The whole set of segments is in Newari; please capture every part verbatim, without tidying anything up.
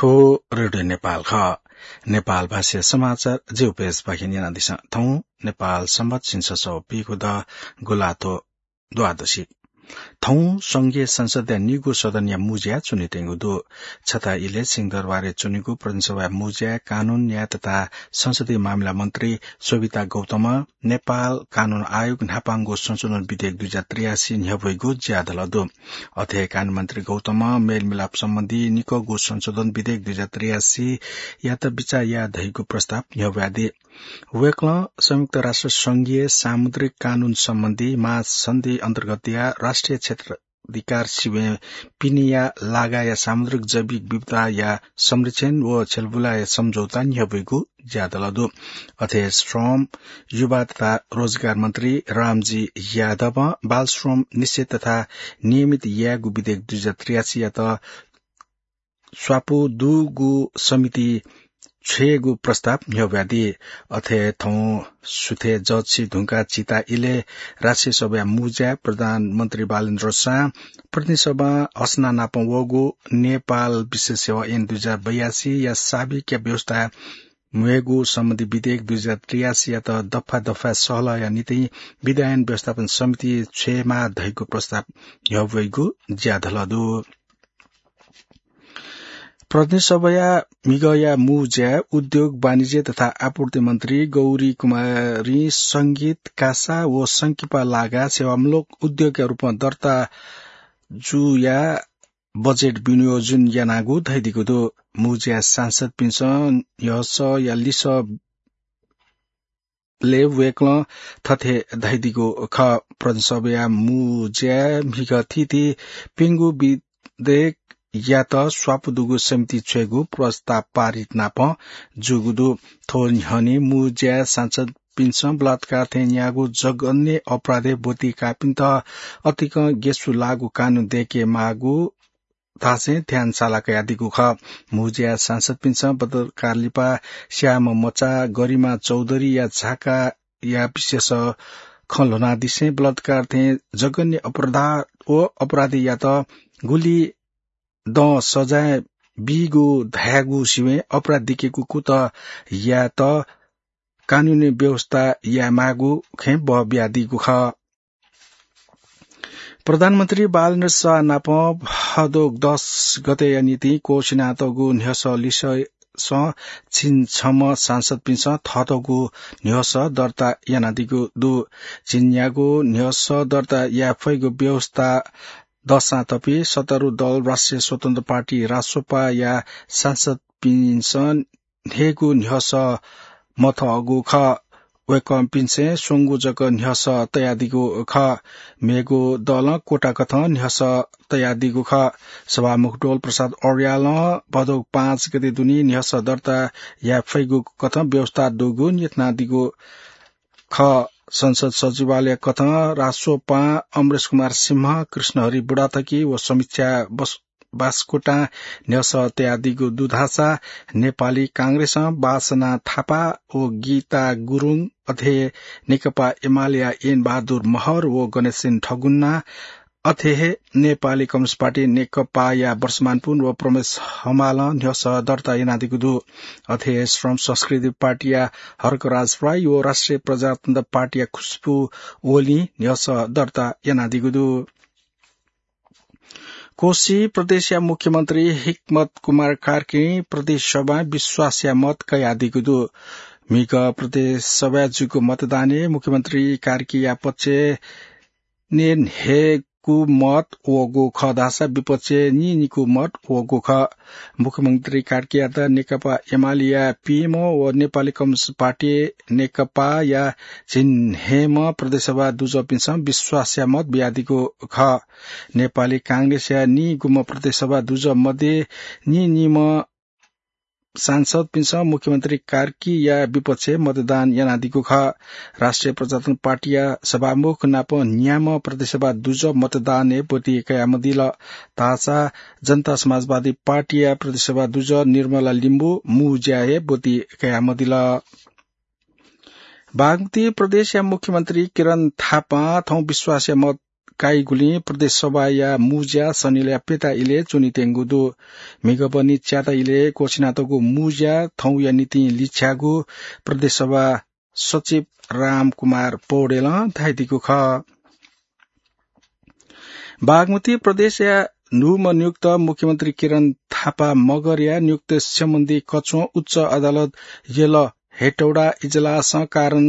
थ्व रेडियो नेपाल खः। नेपाल भाषा समाचार जिउ पेज पाखें न्यनादिसँ। थौं नेपाल संवत झिंछसः पीगू द गुंलाथ्व द्वादशी। थौं संघीय संसदया निगू सदनया मुज्या च्वनेत्यंगु दु। छता इलय् सिंहदरबारय् च्वनेगु प्रदेशसभाया मुज्याय् कानून, न्याय तथा संसदीय मामिला मन्त्री शोभिता गौतमं नेपाल कानून आयोग न्हापांगु संशोधन विधेयक दुई हजार त्रियासी न्ह्यब्वइगु ज्याधल दु। अथे हे कानून मन्त्री गौतमं मेलमिलाप सम्बन्धी निकःगु संशोधन विधेयक दुई हजार त्रियासीयात बिचाः याये धइगु प्रस्ताव न्ह्यब्वयादी। वय्कलं संयुक्त राष्ट्र संघीय सामुद्रिक कानून सम्बन्धी महासन्धि अन्तर्गतया राष्ट्रिय क्षेत्राधिकार सिबें पिनेया लागाया सामुद्रिक जैविक विविधताया संरक्षण व छ्यलबुलाया सम्झौता न्ह्यब्वइगु ज्याधल दु। अथे श्रम, युवा तथा रोजगार मन्त्री रामजी यादवं बाल श्रम निषेध तथा नियमित यायेगु विधेयक दुई हजार त्रियासीयात स्वापू दुगु समिति छ्वयेगु प्रस्ताव न्ह्यब्वयादी। अथे थौं सुथय् जःछि धुंकाः झिता इलय् राष्ट्रिय सभाया मुज्याय् प्रधानमन्त्री बालेन्द्र शाहं प्रतिनिधि सभां हसना नाप वःगु नेपाल विशेष सेवा ऐन दुई हजार बयासीया साबिकया व्यवस्था म्वयेगु सम्बन्धी विधेयक दुई हजार त्रियासीयात दफा दफा सहलहया निंतिं विधायन व्यवस्थापन समिति छ्वयेमाः धइगु प्रस्ताव न्ह्यब्वइगु ज्याधल दु। प्रतिनिधि सभाया म्हिगःया मुज्याय् उद्योग, वाणिज्य तथा आपूर्ति मन्त्री गौरी कुमारीं संगीत, कासा व संकिपा लागा सेवामूलक उद्योगया रूपं दर्ता जुया बजेट विनियोजन यानागु धयादीगु दु। मुज्याय् सांसदपिन्सं न्ह्यसःया लिसः लय् वय्कलं थथे धयादीगु खः। प्रदेशसभाया मुज्याय् म्हिगः थीथी प्यंगू विधेयकयात स्वापू दुगु समिति छ्वयेगु प्रस्ताव पारित नाप जूगु दु। थ्व न्ह्यःने मुज्याय् सांसदपिन्सं बलात्कार थें न्याःगु जघन्य अपराधय् ब्वति काःपिन्त अतिकं गेसु लाःगु कानून दय्के माःगु धासें ध्यान साला कयादीगु खः। मुज्याय् सांसदपिन्सं बलात्कार लिपा स्याःम्ह मचा गरिमा चौधरीया झाकाया विशेष खँ ल्ह्वनादिसें बलात्कार थें जघन्य अपराध व अपराधीयात गुलि दँ सजाय बीगु धायेगु सिबें अपराधीके कुतः यायेत कानूनी व्यवस्था यायेमाःगु खँय् बः बियादीगु खः। प्रधानमन्त्री बालेन्द्र शाह नाप भादो दस गतेया निंतिं क्वःछिनातःगु न्ह्यसः लिससं झिंछम्ह सांसदपिन्सं थःतःगु न्ह्यसः दर्ता यानादीगु दु। झिंन्यागू न्ह्यसः दर्ता याये फइगु व्यवस्था दःसां तपि सत्तारूढ दल राष्ट्रिय स्वतन्त्र पार्टी रासोपाया सांसदपिन्सं न्हय्गू न्ह्यसः मथःगु खः। वय्कःपिन्सं स्वंगू जक न्ह्यसः तयादीगु खः। मेगु दलं कोटा कथं न्ह्यसः तयादीगु खः। सभामुख डोल प्रसाद अर्यालं भादो पाँच गते दुने न्ह्यसः दर्ता याये फइगु कथं व्यवस्था दुगु न्ह्यथनादीगु खः। संसद सचिवालय कथं रासोपां अमरेश कुमार सिंह, कृष्णहरि बुढाथकी व समीक्षा बस-, बास्कोटां न्ह्यसः तयादीगु दु धाःसा नेपाली कांग्रेसं बासना थापा व गीता गुरुङ, अथे नेकपा एमालेया ऐन बहादुर महर व गणेशसेन ठगुन्ना, अथे हे नेपाली कम्युनिस्ट पार्टी नेकपाया वर्षमान पुन व प्रमेश हमालं न्ह्यसः दर्ता यानादीगु दु। अथे हे श्रम संस्कृति पार्टीया हर्कराज राई व राष्ट्रिय प्रजातन्त्र पार्टीया खुशबु ओलीं न्ह्यसः दर्ता यानादीगु दु। कोशी प्रदेशया मुख्यमन्त्री हिक्मत कुमार कार्कीं प्रदेश सभां विश्वासया मत कयादीगु दु। म्हिगः प्रदेश सभाय् जूगु मतदानय् मुख्यमन्त्री कार्कीया पक्षय् न्यय्न्हय्गू मत वःगु खः धाःसा विपक्षय् नीनिगू मत वःगु खः। मुख्यमन्त्री कार्कीयात नेकपा एमालेया पीएमओ व नेपाली कम्युनिस्ट पार्टी नेकपाया झिंन्हय्म्ह प्रदेशसभा दुजःपिन्सं विश्वासया मत बियादीगु खः। नेपाली कांग्रेसया नीगुम्ह प्रदेशसभा दुजः मध्ये नीनिम्ह सांसदपिन्सं मुख्यमन्त्री कार्कीया विपक्षय् मतदान यानादीगु खः। राष्ट्रिय प्रजातन्त्र पार्टीया सभामुख नाप न्याम्ह प्रदेशसभा दुजः मतदानय् ब्वति कयामदिल। धाःसा जनता समाजवादी पार्टीया प्रदेशसभा दुजः निर्मला लिम्बू मुज्याय् ब्वति कयामदिल। बागमती प्रदेशया मुख्यमन्त्री किरण थापां थौं विश्वासया मत काइगुलिं प्रदेश सभाया मुज्या सनिलया प्यता इलय् च्वनीत्यंगु दु। म्हिगः बहनी च्याता इलय् क्वःछिनातःगु मुज्या थौंया निंतिं लिछ्याःगु प्रदेश सभा सचिव रामकुमार पौडेलं धयादीगु खः। बागमती प्रदेशया न्हूम्ह नियुक्त मुख्यमन्त्री किरण थापा मगरया नियुक्ति सम्बन्धी कछुं उच्च अदालत यल हेटौडा इजलासं कारण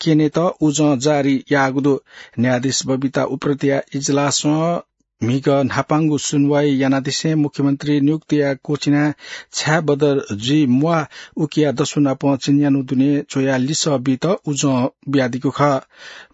क्यनेत उजं जारी याःगु दु। न्यायाधीश बबिता उप्रेतीया इजलासं म्हिगः न्हापांगु सुनुवाइ यानादिसें मुख्यमन्त्री नियुक्तिया क्वःछिना छाय् बदर जुइ म्वाः उकिया दसु नाप चिन्यान्हु दुने च्वयाः लिसः बीत उजं बियादीगु खः।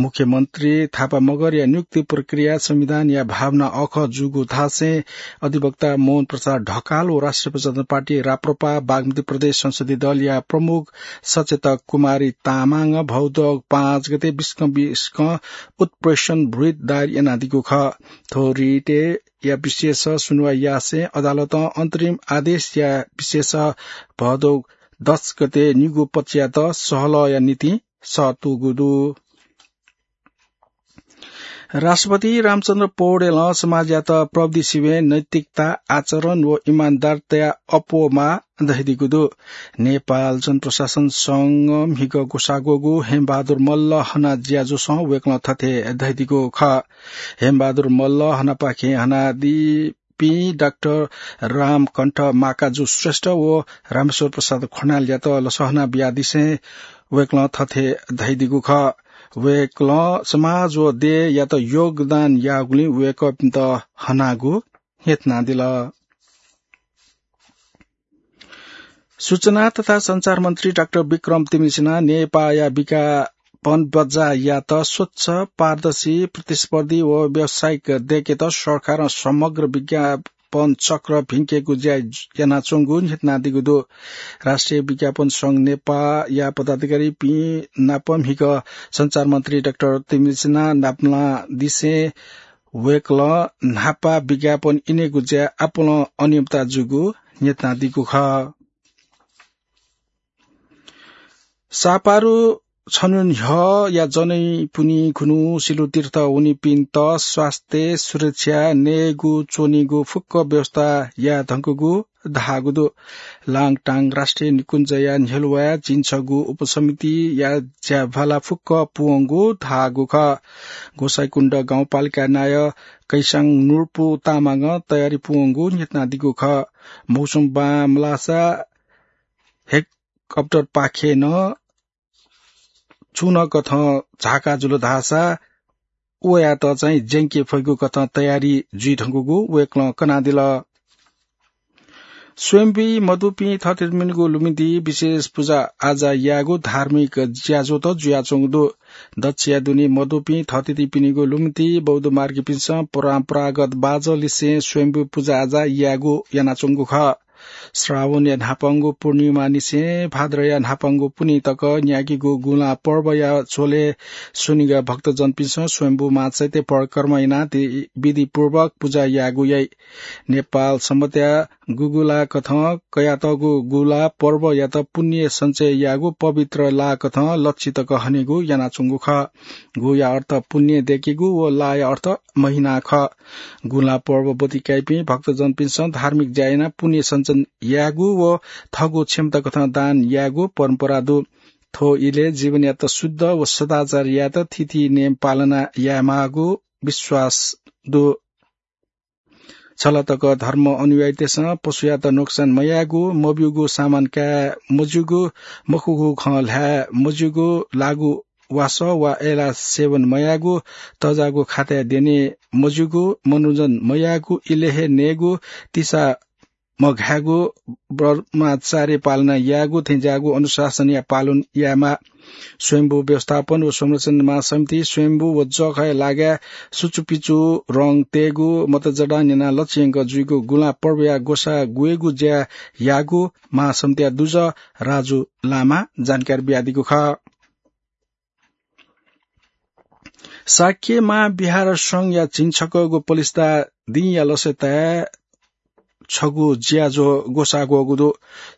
मुख्यमन्त्री थापा मगरया नियुक्ति प्रक्रिया संविधानया भावना अःखः जूगु धासें अधिवक्ता मोहन प्रसाद ढकाल व राष्ट्रिय प्रजातन्त्र पार्टी राप्रपा बागमती प्रदेश संसदीय दलया प्रमुख सचेतक कुमारी तामाङं भौदोग पाँच गते बिस्कं बिस्कं उत्प्रेषण रिट दायर यानादीगु खः। थ्व रिटया विषयस सुनुवाइ यासें अदालतं अन्तरिम आदेशया विषयस भदौ दस गते निगू पक्षयात सहलहया निंतिं सःतूगु दु। राष्ट्रपति रामचन्द्र पौडेलं समाजयात प्रविधि सिबें नैतिकता, आचरण व इमानदारतया अप्वः माः धयादीगु दु। नेपाल जनप्रशासन संघ म्हिगः ग्वसाः ग्वःगु हेमबहादुर मल्ल हना ज्याझ्वलं वय्कलं थथे धयादीगु खः। हेमबहादुर मल्ल हनापाखें हनादीपिं डाक्टर रामकण्ठ माकाजु श्रेष्ठ व रामेश्वर प्रसाद खनालयात लसहना बियादिसें वय्कलं थथे धयादीगु खः। वय्कलं समाज व देय्‌यात योगदान याःगुलिं वय्कःपिन्त हनागु न्ह्यथनादिल। सूचना तथा सञ्चार मन्त्री डाक्टर विक्रम तिमिसिना नेपाःया विज्ञापन बजारयात स्वच्छ, पारदर्शी, प्रतिस्पर्धी व व्यावसायिक दय्‌केत सरकारं समग्र विज्ञापन चक्र भिंकेगु ज्या यानाच्वंगु न्ह्यथनादीगु दु। राष्ट्रिय विज्ञापन संघ नेपाःया पदाधिकारीपिं नाप म्हिगः सञ्चार मन्त्री डाक्टर तिमिसिना नापलादिसें वय्कलं न्हापा विज्ञापन इनेगु ज्याय् आपालं अनियमितता जूगु न्ह्यथनादीगु खः। सापारु छन्हु न्ह्यःया जनै पुन्हि खुन्हु सिलु तीर्थ वनीपिन्त स्वास्थ्य सुरक्षा, नयेगु, च्वनीगु फुक्क व्यवस्था याये धुंकूगु धाःगु दु। लाङटाङ राष्ट्रिय निकुञ्जया न्ह्यलुवाय् झिंछगू उपसमितिया ज्याभाला फुक्क पूवंगु धाःगु खः। गोसाइँकुण्ड गाउँपालिका नायः कैसाङ नुर्पु तामाङं तयारी पूवंगु न्ह्यथनादीगु खः। मौसम बांमलाःसा हेलिकप्टरपाखें नं छुं नं कथं झाका जुल धाःसा वयात चाहिँ ज्यंके फइगु कथं तयारी जुइ धुंकूगु वय्कलं कनादिल। स्वयम्भूइ मदुपिं थःथितिपिनिगु लुमन्ति विशेष पुजा आजा यायेगु धार्मिक ज्याझ्वः त जुयाच्वंगु दु। दच्छिया दुने मदुपिं थःथितिपिनिगु लुमन्ति बौद्ध मार्गीपिन्सं परम्परागत बाजंलिसें स्वयम्भू पुजा आजा यायेगु यानाच्वंगु खः। श्रावणया न्हापांगु पूर्णिमानिसें भाद्रया न्हापांगु पुन्हि तक न्यागीगु गुंला पर्वया झ्वलय् स्वनिगः भक्तजनपिन्सं स्वयम्भू मां चैत्य परिक्रमा यानाः दि-, विधिपूर्वक पुजा यायेगु याइ। नेपाल संवत्‌या गुगु ला कथं कयातःगु गुंला पर्वयात पुण्य सञ्चय यायेगु पवित्र ला कथं लच्छि तक हनेगु यानाच्वंगु खः। गुया अर्थ पुण्य दय्‌केगु व लाया अर्थ महिना खः। गुंला पर्व ब्वति काइपिं भक्तजनपिन्सं धार्मिक ज्या यानाः पुण्य सञ्चय यायेगु व थःगु क्षमता कथं दान यायेगु परम्परा दु। थ्व इलय् जीवनयात शुद्ध व सदाचार यायेत थीथी नियम पालना यायेमाःगु विश्वास दु। छलतक धर्म अनुयायीतय्‌सं पशुयात नोक्सान मयायेगु, मब्यूगु सामान काये मज्यूगु, मखुगु खँ ल्हाये मज्यूगु, लागु वासः वा अय्‌लाः सेवन मयायेगु, तःजाःगु खाताय् द्यने मज्यूगु, मनोरञ्जन मयायेगु, इलय् हे नयेगु, तिसा मघायेगु, ब्रह्मचार्य पालना यायेगु थेंज्याःगु अनुशासनया पालन यायेमाः। स्वयम्भू व्यवस्थापन व संरक्षण महासमिति स्वयम्भू व जःखःया लागाय् सुचुपिचु रंग तयेगु, मतजडान यानाः लच्छि यंक जुइगु गुंला पर्वया ग्वसाः ग्वयेगु ज्या याःगु महासमितिया दुजः राजु लामां जानकारी बियादीगु खः। शाक्य महाविहार संघया झिंछकःगु पलिस्था दिंया लसताय् छगू ज्याझ्वः ग्वसाः ग्वःगु दु।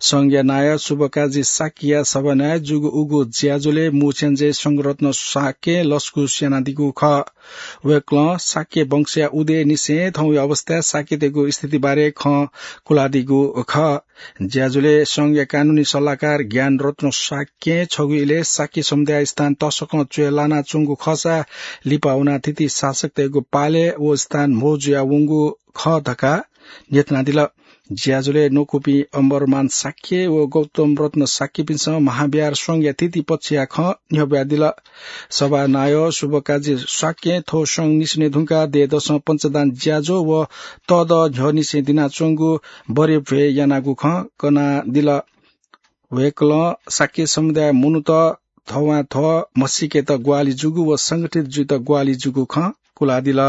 संघया नायः शुभकाजी शाक्यया सभानायः जूगु उगु ज्याझ्वलय् मुछ्याञ्जे संघरत्न शाक्यं लसकुस यानादीगु खः। वय्कलं शाक्य वंशया उदयनिसें थौंया अवस्थाय् शाक्यतय्गु स्थितिबारे खँ कुलादीगु खः। ज्याझ्वलय् संघया कानूनी सल्लाहकार ज्ञानरत्न शाक्यं छगू इलय् शाक्य समुदाय स्थान तसकं च्वय् लानाच्वंगु खःसा लिपा वनाः थीथी शासकतय्गु पालय् व स्थान म्हो जुयावंगु खः धकाः न्ह्यथनादिल। ज्याझ्वलय् न्वकूपिं अम्बरमान शाक्य व गौतम रत्न शाक्यपिन्सं महाविहार संघया थीथी पक्षया खँ न्ह्यब्वयादिल। सभानायः शुभकाजी शाक्यं थ्व संघ निसें धुंकाः दँय्दसं पञ्चदान ज्याझ्वः व तःदँ न्ह्यःनिसें दिनाच्वंगु बरे भ्वय् यानागु खँ कनादिल। वय्कलं शाक्य समुदाय मनूत थःवां थः म्हसीकेत ग्वाहालि जूगु व संगठित जुइत ग्वाहालि जूगु खँ कुलादिल।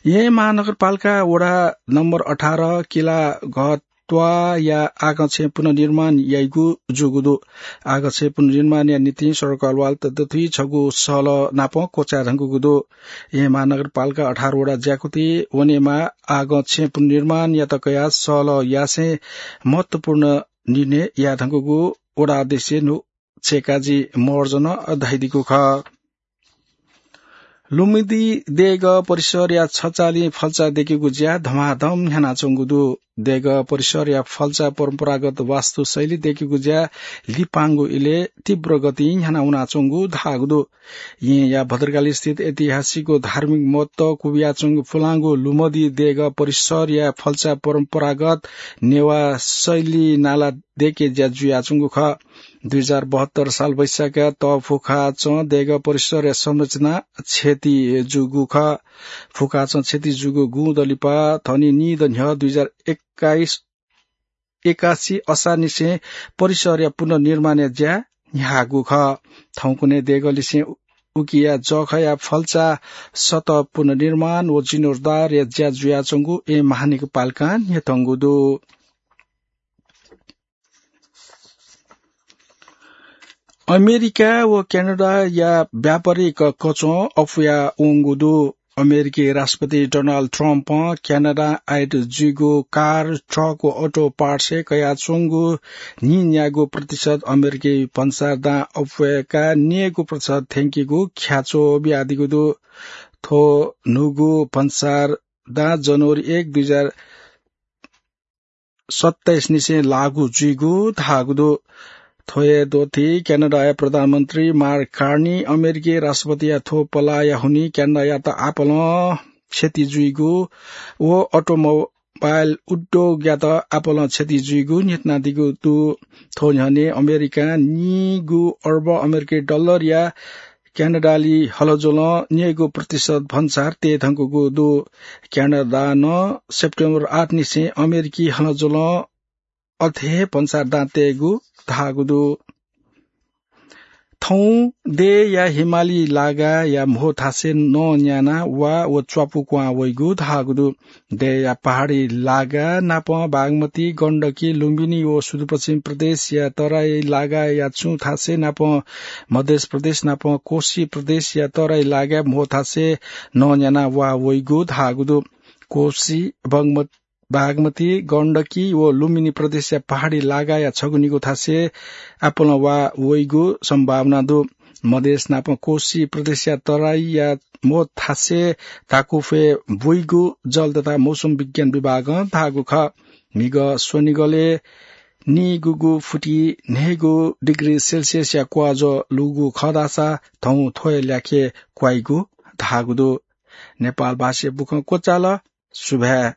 येँ महानगरपालिका वडा नम्बर अठार किला घत्वाया आगछेँ पुनर्निर्माण याइगु जूगु दु। आगछेँ पुनर्निर्माणया निंतिं सडक अलवाल ततुथी छगू सहलह नापं क्वचाये धुंकूगु दु। येँ महानगरपालिका अठार वडा ज्याकुथि वनेमाः आगछेँ पुनर्निर्माणयात कयाः सहलह यासें महत्वपूर्ण निर्णय याये धुंकूगु वडा अध्यक्ष नु छेकाजी महर्जनं धयादीगु खः। लुमदी देगः परिसरया छचालिं फल्चा दयेकेगु ज्या धमाधम न्ह्यानाच्वंगु दु। देगः परिसरया फल्चा परम्परागत वास्तुशैली दयेकेगु ज्या लिपांगु इलय् तीव्र गतिं न्ह्याना वनाच्वंगु धाःगु दु। येँया भद्रकाली स्थित ऐतिहासिक व धार्मिक महत्व क्वबियाच्वंगु पुलांगु लुमदी देगः परिसरया फल्चा परम्परागत नेवाः शैली नाला दयेके ज्या जुयाच्वंगु खः। दुई हजार बहत्तर साल वैशाखया तःफुखाचं देगः परिसरया संरचना क्षति जूगु खः। फुखाचं क्षति जूगु गुँद लिपा थनि निदँ न्ह्यः दुई हजार एक्काइस, एकासी असारनिसें परिसरया पुनर्निर्माणया ज्या न्ह्याःगु खः। थौंकन्हय् देगःलिसें उकिया जःखःया फल्चा सतह पुनर्निर्माण व जीर्णोद्धारया ज्या जुयाच्वंगु येँ महानगरपालिकां न्ह्यथंगु दु। अमेरिका व क्यानाडाया व्यापारिक कचं अप्वया वंगु दु। अमेरिकी राष्ट्रपति डोनाल्ड ट्रम्पं क्यानाडां आयात जुइगु कार, ट्रक व अटो पार्ट्सय् कयाच्वंगु नीन्यागू प्रतिशत अमेरिकी भन्सार दां अप्वय्काः न्यय्गू प्रतिशत थ्यंकीगु ख्याच्वः बियादीगु दु। थ्व न्हूगु भन्सार दां जनवरी एक, दुई हजार सत्ताइस निसें लागू जुइगु धाःगु दु। थ्व हे द्वःथी क्यानाडाया प्रधानमन्त्री मार्क कार्नी अमेरिकी राष्ट्रपतिया थ्व पलाःया हुनिं क्यानाडायात आपालं क्षति जुइगु व अटोमोबाइल उद्योगयात आपालं क्षति जुइगु न्ह्यथनादीगु दु। थ्व न्ह्यःने अमेरिकां नीगू अर्ब अमेरिकी डलरया क्यानाडाली हलज्वलं न्यय्गू प्रतिशत भन्सार तये धुंकूगु दु। क्यानाडां नं सेप्टेम्बर आठ निसें अमेरिकी हलज्वलं अथे हे भन्सार दां तयेगु धाःगु दु। थौं देय्या हिमाली लागाया म्हो थासय् नं न्यानाः वा व च्वापु क्वहां वइगु धाःगु दु। देय्या पहाडी लागा नापं बागमती, गण्डकी, लुम्बिनी व सुदूरपश्चिम प्रदेशया तराई लागाया छुं थासय् नापं मध्य प्रदेश नापं कोशी प्रदेशया तराई लागाय् म्हो थासय् नं न्यानाः वा वइगु धाःगु दु। कोशी, बगमत-, बागमती, गण्डकी व लुम्बिनी प्रदेशया पहाडी लागाया छगू निगू थासय् आपालं वा वइगु सम्भावना दु। मधेस नापं कोशी प्रदेशया तराईया म्हो थासय् धाकुफय् बुइगु जल तथा मौसम विज्ञान विभागं धाःगु खः। म्हिगः स्वनिगलय् नीगूगु फुति न्हय्गू डिग्री सेल्सियसया क्वाःज्वः लूगु खः धाःसा थौं थ्व हे ल्याखय् क्वाइगु धाःगु दु। नेपाल भाषाया बुखँ क्वचाल। सुभाय्।